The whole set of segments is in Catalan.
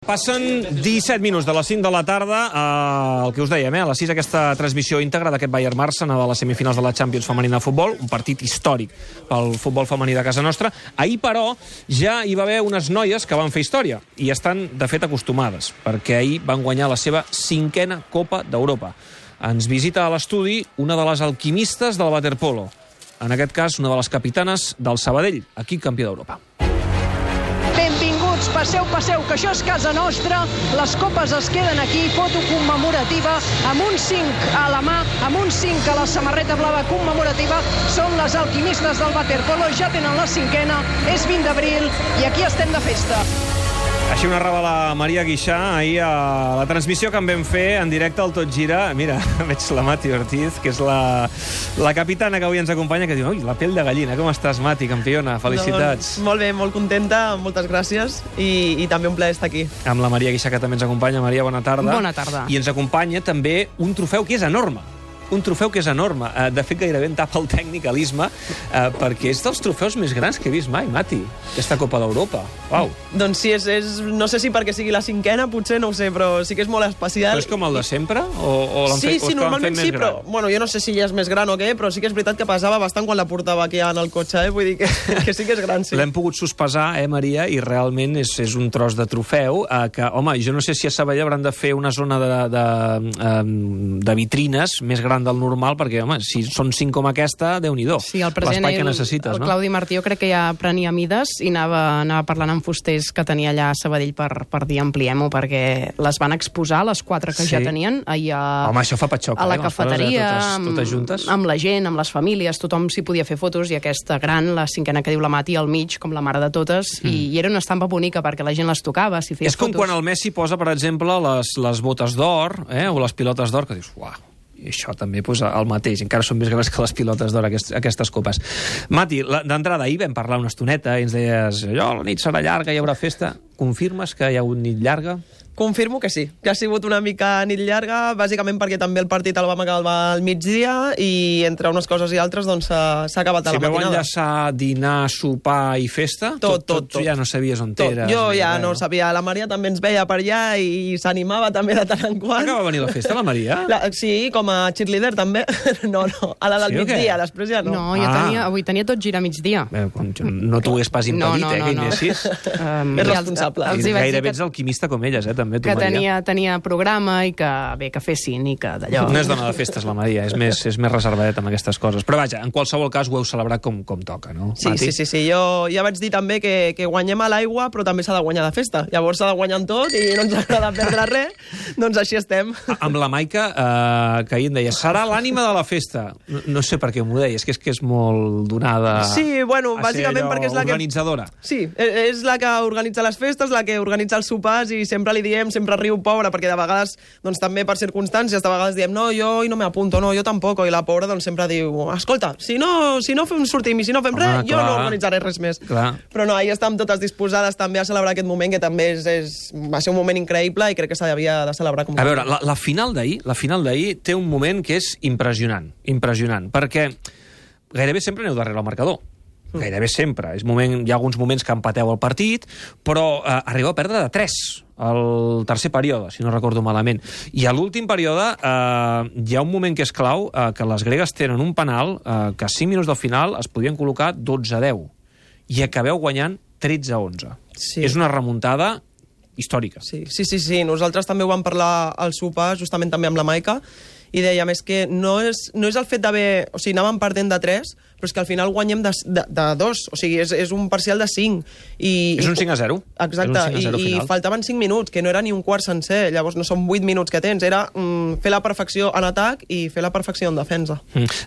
Passen 17 minuts de les 5 de la tarda, el que us dèiem, a les 6 aquesta transmissió íntegra d'aquest Bayern-Barça de les semifinals de la Champions femenina de futbol, un partit històric pel futbol femení de casa nostra. Ahir, però, ja hi va haver unes noies que van fer història i estan, de fet, acostumades, perquè ahir van guanyar la seva 5a Copa d'Europa. Ens visita a l'estudi una de les alquimistes del waterpolo, en aquest cas una de les capitanes del Sabadell, equip campió d'Europa. Benvinguts, passeu, que això és casa nostra. Les copes es queden aquí, foto commemorativa, amb un 5 a la mà, amb un 5 a la samarreta blava commemorativa. Són les alquimistes del waterpolo, ja tenen la 5a, és 20 d'abril i aquí estem de festa. Així ho narrava la Maria Guixà ahir a la transmissió que en vam fer en directe al Tot Gira. Mira, veig la Mati Ortiz, que és la capitana que avui ens acompanya, que diu, ui, la pell de gallina, com estàs, Mati, campiona? Felicitats. Molt bé, molt contenta, moltes gràcies i també un plaer estar aquí. Amb la Maria Guixà, que també ens acompanya. Maria, bona tarda. Bona tarda. I ens acompanya també un trofeu que és enorme. Un trofeu que és enorme. De fet, gairebé en tapa el tècnic a l'Isma, perquè és dels trofeus més grans que he vist mai, Mati, aquesta Copa d'Europa. Uau. Doncs sí, no sé si perquè sigui la 5a, potser, no ho sé, però sí que és molt especial. Però és com el de sempre? O sí, normalment sí, però bueno, jo no sé si ja és més gran o què, però sí que és veritat que pesava bastant quan la portava aquí en el cotxe, vull dir que sí que és gran, sí. L'hem pogut sospesar, Maria, i realment és un tros de trofeu que, home, jo no sé si a Sabadell hauran de fer una zona de vitrines més gran del normal, perquè, home, si són 5 com aquesta, Déu-n'hi-do. Sí, el present, que necessites, el Claudi Martí, jo crec que ja prenia mides i anava parlant amb fusters que tenia allà a Sabadell per dir ampliem-ho, perquè les van exposar, les 4 que ja tenien, ahir home, això fa patxoca, a la cafeteria, totes juntes, amb la gent, amb les famílies, tothom s'hi podia fer fotos, i aquesta gran, la 5a que diu la Mati, al mig, com la mare de totes, i era una estampa bonica perquè la gent les tocava, s'hi feia fotos. És com quan el Messi posa, per exemple, les botes d'or, o les pilotes d'or, que dius, uau, i això també el mateix, encara són més grans que les pilotes d'or, aquestes copes. Mati, d'entrada, ahir vam parlar una estoneta i ens deies, la nit serà llarga, hi haurà festa. Confirmes que hi ha hagut nit llarga? Confirmo que sí, que ha sigut una mica nit llarga, bàsicament perquè també el partit el vam acabar al migdia i entre unes coses i altres doncs s'ha acabat a la matinada. Si vau enllaçar dinar, sopar i festa, tot ja no sabies on eres. Jo ja no sabia, la Maria també ens veia per allà i s'animava també de tant en quant. Va venir la festa, la Maria? Sí, com a cheerleader també. No, a la del migdia, després ja no. No, avui tenia Tot Gira a migdia. No t'ho hagués pas impedit, que hi anessis. És responsable. Gairebé ets alquimista com elles, també, tu, Maria. Que tenia programa i que fessin i que d'allò... No és dona de festes, la Maria, és més reservadet amb aquestes coses. Però vaja, en qualsevol cas ho heu celebrat com toca, no? Sí. Jo ja vaig dir també que guanyem a l'aigua, però també s'ha de guanyar de festa. Llavors s'ha de guanyar en tot i no ens agrada perdre res, doncs així estem. Amb la Maica, que ahir em deia, serà l'ànima de la festa. No sé per què m'ho deia, és que és molt donada... Sí, bueno, bàsicament perquè és la que... organitzadora. Sí, és la que organitza les festes, la que organitza els sopars i sempre li diem, sempre riu pobra, perquè de vegades, doncs també per circumstàncies, de vegades diem, no, jo no m'apunto, no, jo tampoc, i la pobra doncs sempre diu, escolta, si no sortim i si no fem res, jo no organitzaré res més. Clar. Però no, ahir estàvem totes disposades també a celebrar aquest moment, que també va ser un moment increïble i crec que s'havia de celebrar com... A veure, la final d'ahir té un moment que és impressionant, perquè gairebé sempre aneu darrere el marcador. Gairebé sempre. Hi ha alguns moments que empateu el partit, però arribeu a perdre de 3 al tercer període, si no recordo malament. I a l'últim període hi ha un moment que és clau, que les gregues tenen un penal que a 5 minuts del final es podien col·locar 12-10 i acabeu guanyant 13-11. Sí. És una remuntada històrica. Sí. Nosaltres també ho vam parlar al sopar, justament també amb la Maica, i dèiem, és que no és el fet d'haver... O sigui, anàvem perdent de 3, però és que al final guanyem de 2. O sigui, és un parcial de 5. És un 5-0. Exacte, i faltaven 5 minuts, que no era ni un quart sencer. Llavors no són 8 minuts que tens. Era fer la perfecció en atac i fer la perfecció en defensa.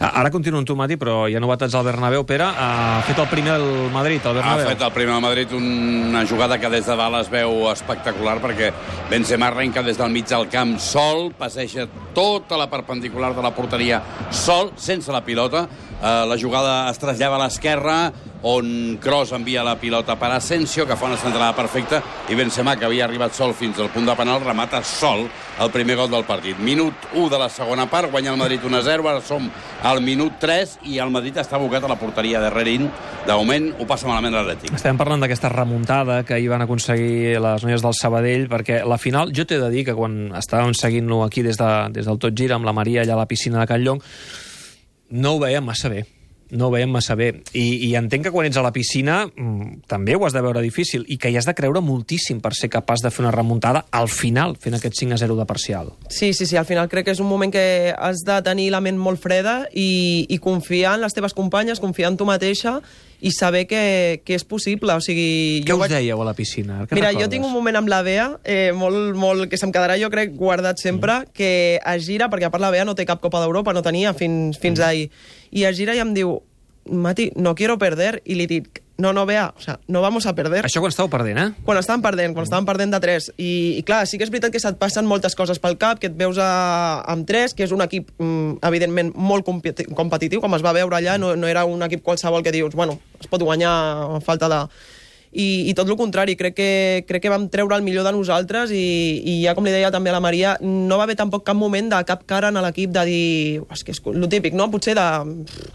Ara continuo amb tu, Mati, però hi ha novetats al Bernabéu. Pere, ha fet el primer del Madrid, al Bernabéu. Ha fet el primer del Madrid, una jugada que des de dalt es veu espectacular, perquè Benzema arrenca des del mig del camp sol, passeja tota la perpendicular de la porteria sol, sense la pilota. La jugada es trasllava a l'esquerra, on Kroos envia la pilota per Asensio, que fa una centrada perfecta, i Benzema, que havia arribat sol fins al punt de penal, remata sol el primer gol del partit. Minut 1 de la segona part, guanya el Madrid 1-0, ara som al minut 3 i el Madrid està abocat a la porteria de Rerín. De moment ho passa malament l'Atlètic. Estem parlant d'aquesta remuntada que hi van aconseguir les noies del Sabadell, perquè la final, jo t'he de dir que quan estàvem seguint-lo aquí des del Tot Gira, amb la Maria allà a la piscina de Can Llong, no ho veiem massa bé. No ho veiem massa bé. I entenc que quan ets a la piscina també ho has de veure difícil i que hi has de creure moltíssim per ser capaç de fer una remuntada al final, fent aquest 5-0 de parcial. Sí, al final crec que és un moment que has de tenir la ment molt freda i confiar en les teves companyes, confiar en tu mateixa i saber que és possible. O sigui, Què us dèieu a la piscina? Mira, jo tinc un moment amb la Bea, molt, que se'm quedarà, jo crec, guardat sempre, que es gira, perquè a part la Bea no té cap Copa d'Europa, no tenia fins ahir, i es gira i em diu, Mati, no quiero perder, i li dic, no, Bea, o sea, no vamos a perder. Això quan estàveu perdent, eh? Quan estàvem perdent de 3. I clar, sí que és veritat que se't passen moltes coses pel cap, que et veus amb 3, que és un equip, evidentment, molt competitiu, com es va veure allà, no era un equip qualsevol que dius, bueno, es pot guanyar a falta de... I tot el contrari, crec que vam treure el millor de nosaltres i ja com li deia també a la Maria, no va haver tampoc cap moment de cap cara en l'equip de dir, és que és el típic, no? Potser de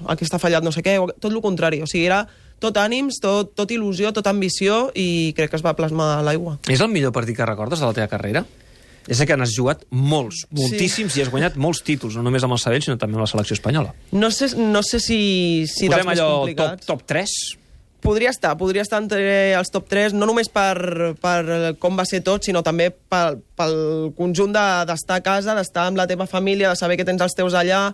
aquí està fallat no sé què, tot el contrari, o sigui, era tot ànims, tot il·lusió, tot ambició i crec que es va plasmar a l'aigua. És el millor partit que recordes de la teva carrera? És que n'has jugat moltíssims, i has guanyat molts títols, no només amb el Sabadell, sinó també amb la selecció espanyola. No sé si dels més complicats. Top 3? Podria estar entre els top 3, no només per com va ser tot, sinó també pel conjunt d'estar a casa, d'estar amb la teva família, de saber que tens els teus allà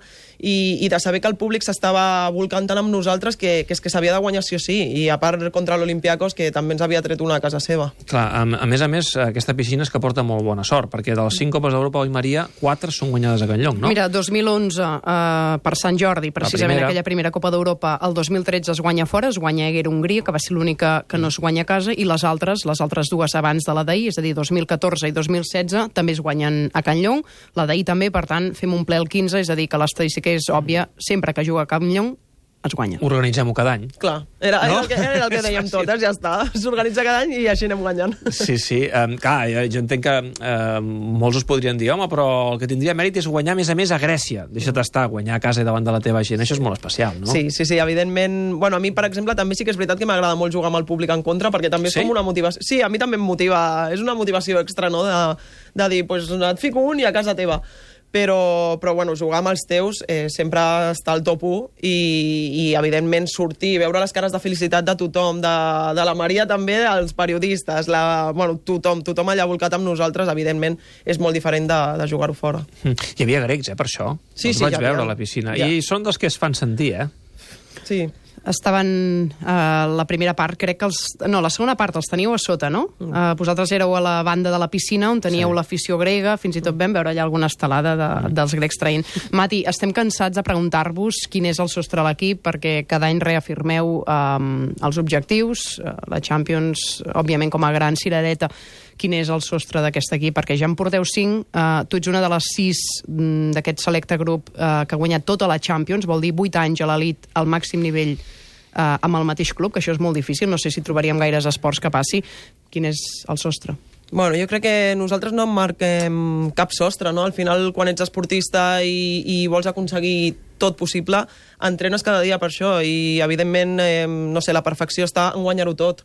i de saber que el públic s'estava volcant tant amb nosaltres que és que s'havia de guanyar sí o sí, i a part contra l'Olympiacos, que també ens havia tret una a casa seva. Clar, a més, aquesta piscina és que porta molt bona sort, perquè de les 5 Copes d'Europa, oi Maria, 4 són guanyades a Can Llong, no? Mira, 2011 per Sant Jordi, precisament aquella primera Copa d'Europa, el 2013 es guanya fora, es guanya Hungria, que va ser l'única que no es guanya a casa, i les altres dues abans de la d'ahir, és a dir, 2014 i 2016, també es guanyen a Can Llong. La d'ahir també, per tant, fem un ple el 15, és a dir, que l'estadística és òbvia, sempre que juga a Can Llong, es guanya. Organitzem-ho cada any. Clar, era el que dèiem totes, ja està. S'organitza cada any i així anem guanyant. Sí. Clar, jo entenc que molts us podrien dir, home, però el que tindria mèrit és guanyar, a més a Grècia. Deixa't estar, guanyar a casa i davant de la teva gent. Això és molt especial, no? Sí, evidentment. Bueno, a mi, per exemple, també sí que és veritat que m'agrada molt jugar amb el públic en contra, perquè també és com una motivació. Sí, a mi també em motiva. És una motivació extra, no?, de dir, pues et fico un i a casa teva. Però bueno, jugar amb els teus sempre està al top 1 i evidentment sortir, veure les cares de felicitat de tothom, de la Maria també, dels periodistes, tothom allà volcat amb nosaltres, evidentment és molt diferent de jugar-ho fora. Hi havia grecs, per això. Sí, els vaig veure a la piscina. I són dels que es fan sentir, Sí. Estaven a la primera part, crec que la segona part els teníeu a sota, no? Vosaltres éreu a la banda de la piscina on teníeu l'afició grega, fins i tot vam veure allà alguna estelada dels grecs traient. Mati, estem cansats de preguntar-vos quin és el sostre de l'equip, perquè cada any reafirmeu els objectius, la Champions, òbviament com a gran cirereta. Quin és el sostre d'aquest equip? Perquè ja en porteu 5, tu ets una de les 6 d'aquest selecte grup que ha guanyat tota la Champions, vol dir 8 anys a l'elit al màxim nivell amb el mateix club, que això és molt difícil, no sé si trobaríem gaires esports que passi. Quin és el sostre? Bueno, jo crec que nosaltres no marquem cap sostre, no? Al final, quan ets esportista i vols aconseguir tot possible, entrenes cada dia per això i, evidentment, no sé, la perfecció està en guanyar-ho tot.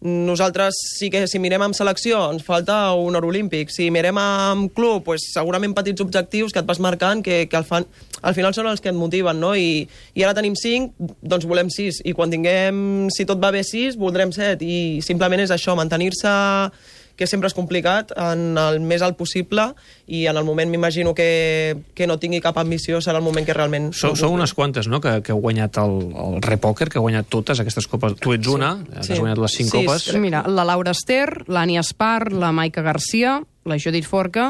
Nosaltres sí que si mirem amb selecció ens falta un or olímpic, si mirem amb club pues, segurament petits objectius que et vas marcant que al final són els que et motiven, no? I ara tenim 5, doncs volem 6 i quan tinguem, si tot va bé 6, voldrem 7 i simplement és això, mantenir-se, que sempre és complicat, en el més alt possible i en el moment m'imagino que no tingui cap ambició serà el moment que realment... Sou unes quantes, no?, que heu guanyat el Repòquer, que heu guanyat totes aquestes copes. Tu ets una, has guanyat les 5 copes. Mira, la Laura Ester, l'Ània Espar, la Maica Garcia, la Judit Forca,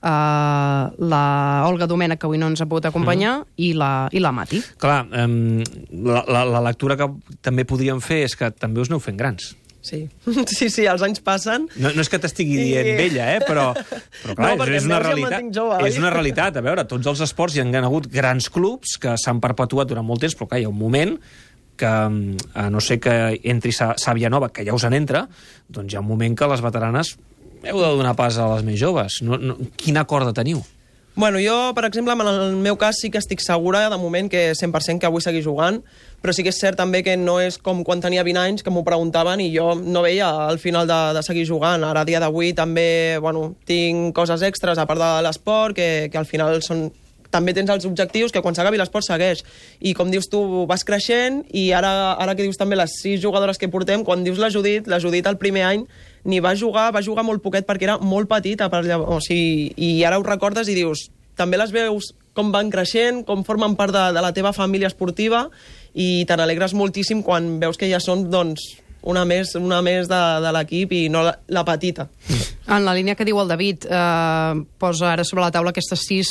la Olga Domènech, que avui no ens ha pogut acompanyar, i la Mati. Clar, la lectura que també podríem fer és que també us aneu fent grans. Sí, els anys passen. No és que t'estigui dient vella, però clar, no, és una realitat. És una realitat. A veure, tots els esports hi han hagut grans clubs que s'han perpetuat durant molt temps, però clar, hi ha un moment que, a no ser que entri Sàvia Nova, que ja us en entra, doncs hi ha un moment que les veteranes heu de donar pas a les més joves. Quina corda teniu? Bueno, jo, per exemple, en el meu cas sí que estic segura, de moment, que 100% que vull seguir jugant, però sí que és cert també que no és com quan tenia 20 anys, que m'ho preguntaven i jo no veia al final de seguir jugant. Ara, a dia d'avui, també tinc coses extres, a part de l'esport, que al final són... També tens els objectius que quan s'acabi l'esport segueix. I com dius tu, vas creixent i ara que dius també les 6 jugadores que portem, quan dius la Judit el primer any ni va jugar molt poquet perquè era molt petita. I ara ho recordes i dius, també les veus com van creixent, com formen part de la teva família esportiva i te n'alegres moltíssim quan veus que ja són, doncs, una més de l'equip i no la petita. En la línia que diu el David, posa ara sobre la taula aquestes 6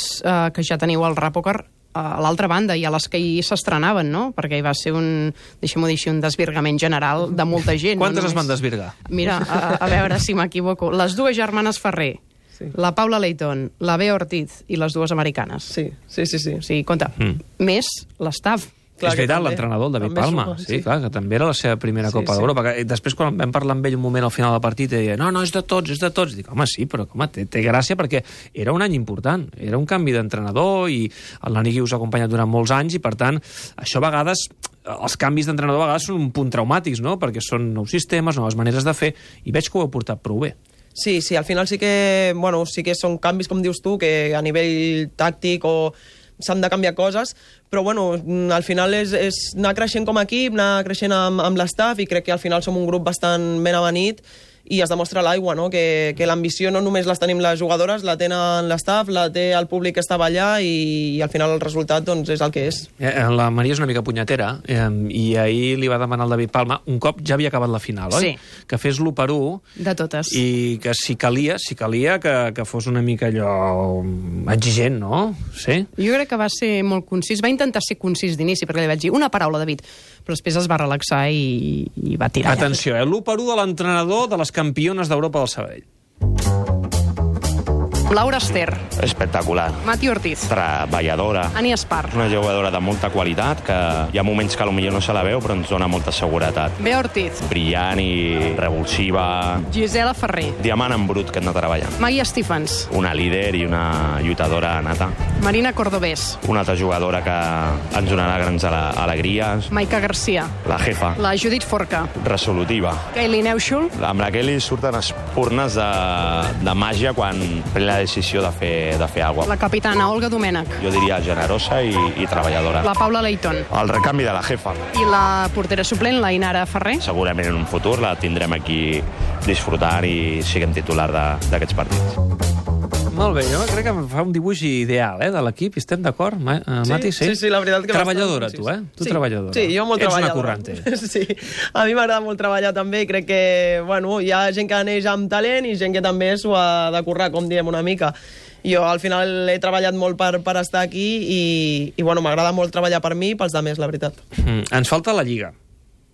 que ja teniu al Rapoccar a l'altra banda i a les que hi s'estrenaven, no? Perquè hi va ser deixem-ho dir així, un desvirgament general de molta gent. Quantes es van desvirgar? Mira, a veure si m'equivoco. Les 2 germanes Ferrer, la Paula Leighton, la Bea Ortiz i les 2 americanes. Sí. O sigui, compte, més l'estaf. És veritat, l'entrenador, el David Palma. Sí, clar, que també era la seva primera Copa d'Europa. Després, quan vam parlar amb ell un moment al final del partit, deia, no, és de tots. Dic, home, sí, però té gràcia perquè era un any important. Era un canvi d'entrenador i el Nani us ha acompanyat durant molts anys i, per tant, això a vegades, els canvis d'entrenador a vegades són un punt traumàtics, no? Perquè són nous sistemes, noves maneres de fer, i veig que ho heu portat prou bé. Sí, al final sí que són canvis, com dius tu, que a nivell tàctic o s'han de canviar coses, però al final és anar creixent com a equip, anar creixent amb l'estaf i crec que al final som un grup bastant ben avenit i es demostra l'aigua, no? Que l'ambició no només les tenim les jugadores, la tenen l'estaf, la té el públic que estava allà i al final el resultat és el que és. La Maria és una mica punyetera i ahir li va demanar al David Palma, un cop ja havia acabat la final, oi? Sí. Que fes l'1-1 de totes. I que si calia que fos una mica allò exigent, no? Sí? Jo crec que va ser molt concís, va intentar ser concís d'inici, perquè li vaig dir una paraula, David, però després es va relaxar i va tirar. Atenció, l'1-1 de l'entrenador de les campiones d'Europa del Sabadell. Laura Ester. Espectacular. Mati Ortiz. Treballadora. Ani Espar. Una jugadora de molta qualitat, que hi ha moments que potser no se la veu, però ens dona molta seguretat. Bea Ortiz. Brillant i revulsiva. Gisela Ferrer. Diamant en brut que hem de treballar. Maggie Stephens. Una líder i una lluitadora nata. Marina Cordobés. Una altra jugadora que ens donarà grans alegries. Maika Garcia. La jefa. La Judit Forca. Resolutiva. Kaylee Neuschul. Amb la Kelly surten espurnes de màgia quan pren la decisió de fer alguna cosa. La capitana Olga Domènech. Jo diria generosa i treballadora. La Paula Leighton. El recanvi de la jefa. I la portera suplent, la Inara Ferrer. Segurament en un futur la tindrem aquí disfrutant i siguem titular d'aquests partits. Molt bé, jo crec que fa un dibuix ideal, de l'equip, estem d'acord, Mati? Sí, la veritat que... Treballadora, tu, Tu treballadora. Sí, jo molt treballadora. Ets una currante. Sí, a mi m'agrada molt treballar també i crec que, hi ha gent que neix amb talent i gent que també s'ho ha de currar, com diem una mica. Jo al final he treballat molt per estar aquí i m'agrada molt treballar per mi i pels altres, la veritat. Ens falta la Lliga.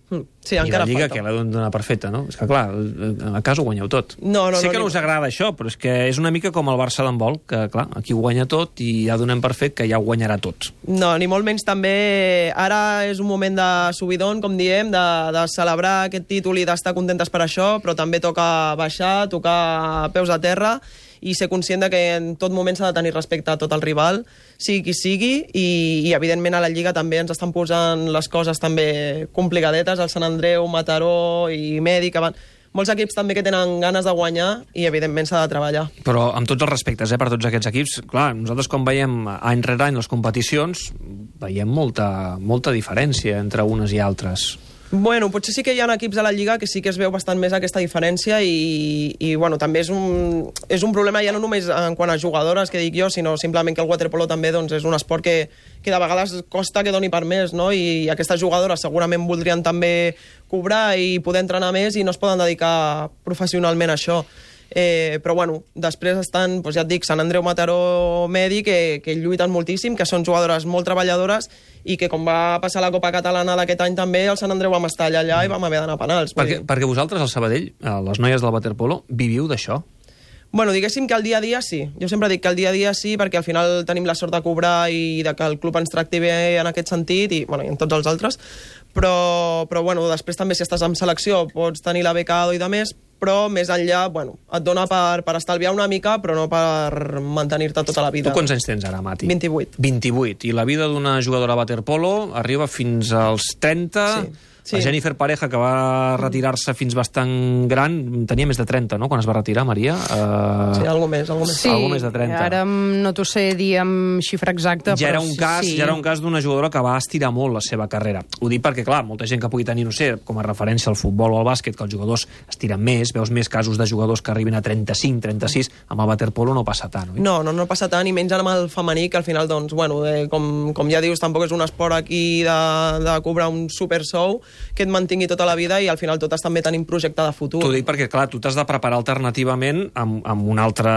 Sí, encara falta. I la Lliga, falta. que l'ha de donar perfecta, no? És que, clar, a casa ho guanyeu tot. Sé que no us agrada això, però és que és una mica com el Barça d'handbol, que, clar, aquí ho guanya tot i ja donem per fet que ja ho guanyarà tot. No, ni molt menys també. Ara és un moment de subidon, com diem, de celebrar aquest títol i d'estar contentes per això, però també toca baixar, tocar peus a terra i ser conscient que en tot moment s'ha de tenir respecte a tot el rival, sigui qui sigui, i evidentment a la Lliga també ens estan posant les coses també complicadetes, el Sant Andreu, Mataró i Medi, que van... Molts equips també que tenen ganes de guanyar i evidentment s'ha de treballar. Però amb tots els respectes per tots aquests equips, clar, nosaltres quan veiem any rere any les competicions veiem molta diferència entre unes i altres. Bueno, potser sí que hi ha equips a la Lliga que sí que es veu bastant més aquesta diferència i també és un problema ja no només en quant a jugadores, que dic jo, sinó simplement que el waterpolo també és un esport que de vegades costa que doni per més, no? I aquestes jugadores segurament voldrien també cobrar i poder entrenar més i no es poden dedicar professionalment a això. Però després estan, ja et dic, Sant Andreu, Mataró, Medi, que lluiten moltíssim, que són jugadores molt treballadores i que com va passar la Copa Catalana d'aquest any també, el Sant Andreu vam estar allà i vam haver d'anar a penals. Perquè vosaltres, al Sabadell, les noies del waterpolo, viviu d'això? Bueno, diguéssim que el dia a dia sí. Jo sempre dic que el dia a dia sí, perquè al final tenim la sort de cobrar i de que el club ens tracti bé en aquest sentit i en tots els altres. Però bueno, després també si estàs en selecció pots tenir la beca ADO i de més, però més enllà, et dona per estalviar una mica, però no per mantenir-te tota la vida. Tu quants anys tens ara, Mati? 28. 28. I la vida d'una jugadora de waterpolo arriba fins als 30... Sí. Sí. La Jennifer Pareja, que va retirar-se fins bastant gran, tenia més de 30, no?, quan es va retirar, Maria? Sí, algo més. Sí, algo més de 30. Ara no t'ho sé dir amb xifra exacta, ja però era un cas d'una jugadora que va estirar molt la seva carrera. Ho dic perquè, clar, molta gent que pugui tenir, no sé, com a referència al futbol o al bàsquet, que els jugadors estiren més, veus més casos de jugadors que arriben a 35, 36, amb el waterpolo no passa tant, oi? No passa tant, i menys amb el femení, que al final, doncs, com ja dius, tampoc és un esport aquí de cobrar un super sou que et mantingui tota la vida, i al final totes també tenim projecte de futur. T'ho dic perquè, clar, tu t'has de preparar alternativament amb un altre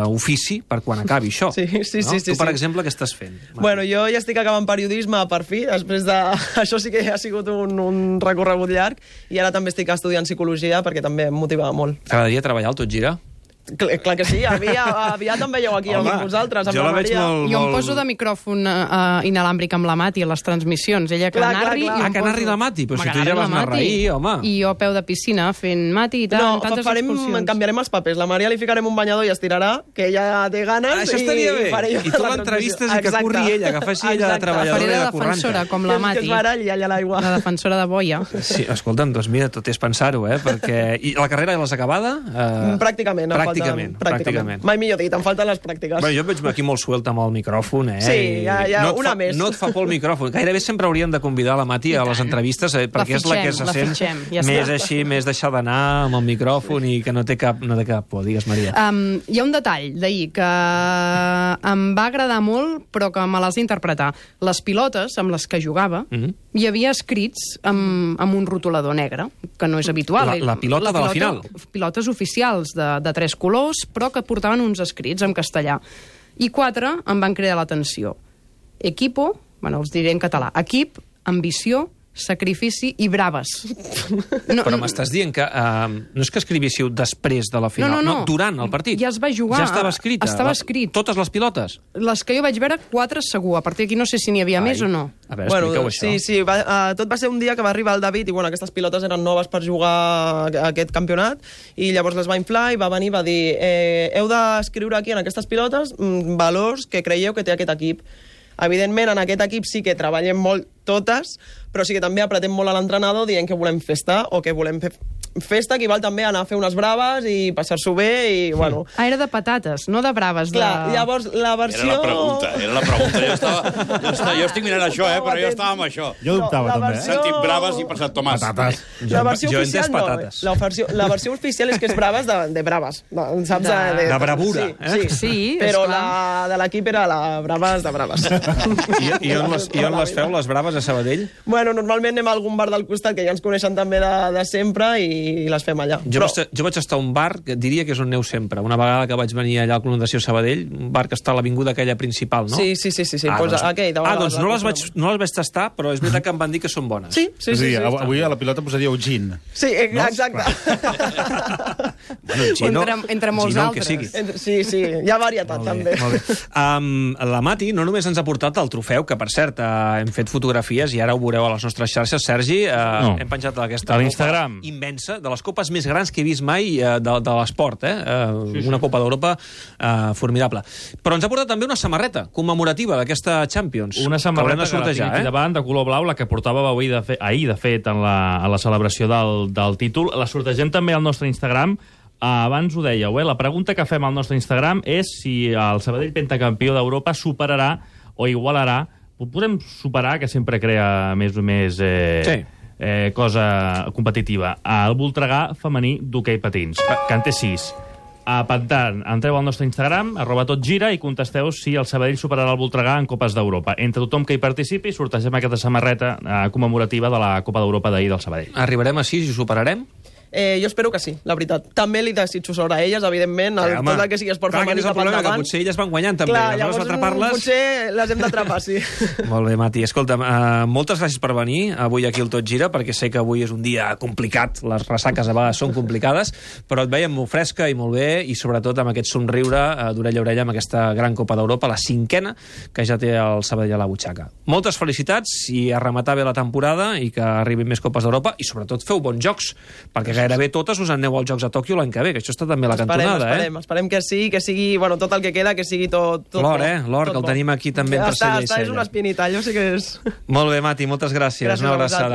ofici per quan acabi això. Sí. Tu, per exemple, què estàs fent? Bueno, jo ja estic acabant periodisme per fi, després de... Això sí que ha sigut un recorregut llarg, i ara també estic estudiant psicologia perquè també em motivava molt. T'agradaria treballar al Tot Gira? Clar que sí, aviat em veieu aquí amb vosaltres, amb la Maria. Jo em poso de micròfon inalàmbric amb la Mati a les transmissions. Ella que narri... Que narri la Mati? Però si tu ja vas narrar ahir, home. I jo a peu de piscina fent Mati i tantes expulsions. Canviarem els papers. La Maria li ficarem un banyador i estirarà, que ella té ganes. Això estaria bé. I tu l'entrevistes i que corri ella, que faci ella de treballadora i de curranta. Faré de defensora, com la Mati. Que es baralli allà a l'aigua. La defensora de boia. Sí, escolta'm, doncs mira, tot és pensar-ho, perquè... I la carrera ja l'has acabada? Pràcticament. Mai millor dit, em falten les pràctiques. Bueno, jo et veig aquí molt suelta amb el micròfon, Sí, ja una més. No et fa por el micròfon. Gairebé sempre hauríem de convidar la Mati a les entrevistes, perquè és la que se sent més així, més deixar d'anar amb el micròfon i que no té cap por. Digues, Maria. Hi ha un detall d'ahir que em va agradar molt, però que me l'has d'interpretar. Les pilotes amb les que jugava hi havia escrits amb un rotulador negre, que no és habitual. La pilota de la final. Pilotes oficials de 3 colors, però que portaven uns escrits en castellà. I 4 em van cridar l'atenció. Equipo, els diré en català, equip, ambició, sacrifici i braves. Però m'estàs dient que no és que escrivíssiu després de la final, no, durant el partit. Ja es va jugar. Ja estava escrita. Estava escrit. Totes les pilotes? Les que jo vaig veure, 4 segur. A partir d'aquí no sé si n'hi havia més o no. A veure, expliqueu això. Sí, tot va ser un dia que va arribar el David i aquestes pilotes eren noves per jugar a aquest campionat, i llavors les va inflar i va venir i va dir heu d'escriure aquí en aquestes pilotes valors que creieu que té aquest equip. Evidentment, en aquest equip sí que treballem molt totes, però sí que també apretem molt a l'entrenador dient que volem festa o que volem fer festa, que val també anar a fer unes braves i passar-s'ho bé i, bueno... Era de patates, no de braves. Clar, llavors la versió... Era la pregunta. Jo estic mirant això, però jo estava amb això. Jo dubtava, també. Sentit braves i passat Tomàs. Patates. La versió jo oficial no. patates. La versió oficial és que és braves de braves. Saps? De bravura. Sí, però la de l'equip era la braves de braves. I on les feu, les braves, a Sabadell? Bueno, normalment anem a algun bar del costat, que ja ens coneixen també de sempre, i les fem allà. Jo vaig estar a un bar, que diria que és on aneu sempre. Una vegada que vaig venir allà al Club Natació Sabadell, un bar que està a l'avinguda aquella principal, no? Sí. Doncs no les vaig tastar, però és veritat que em van dir que són bones. Sí. Avui a la pilota posaríeu gin. Sí, exacte. Entre molts altres. Sí, hi ha varietat, també. La Mati no només ens ha portat el trofeu, que per cert hem fet fotografies i ara ho veureu a les nostres xarxes. Sergi, hem penjat aquesta a l'Instagram immensa, de les copes més grans que he vist mai de l'esport, una Copa d'Europa formidable. Però ens ha portat també una samarreta commemorativa d'aquesta Champions. Una samarreta que la tinc aquí davant, de color blau, la que portàveu ahir, de fet, a la celebració del títol. La sortegem també al nostre Instagram. Abans ho dèieu, la pregunta que fem al nostre Instagram és si el Sabadell pentacampió d'Europa superarà o igualarà, ho podem superar, que sempre crea més o més cosa competitiva, el Voltregà femení d'hoquei patins, que en té 6. Per tant, entreu al nostre Instagram, @totgira, i contesteu si el Sabadell superarà el Voltregà en Copes d'Europa. Entre tothom que hi participi, sortegem aquesta samarreta commemorativa de la Copa d'Europa d'ahir del Sabadell. Arribarem a 6 i ho superarem? Jo espero que sí, la veritat. També li desitjo sort a elles, evidentment, tot el que sigui esport femení cap endavant. Que potser elles van guanyant, també. Clar, llavors potser les hem d'atrapar, sí. Molt bé, Mati. Escolta'm, moltes gràcies per venir avui aquí al Tot Gira, perquè sé que avui és un dia complicat, les ressaques a vegades són complicades, però et veiem molt fresca i molt bé, i sobretot amb aquest somriure d'orella a orella amb aquesta gran Copa d'Europa, la 5a, que ja té el Sabadell a la butxaca. Moltes felicitats i a rematar bé la temporada i que arribin més Copes d'Europa, i sobretot feu bons jocs, perquè gairebé totes us aneu als Jocs a Tòquio l'any que ve, que això està també a la cantonada, Esperem que sí, que sigui, tot el que queda, que sigui tot l'or, l'or, que el tenim aquí també en tercer llei. És una espinita, allò sí que és... Molt bé, Mati, moltes gràcies. Una abraçada.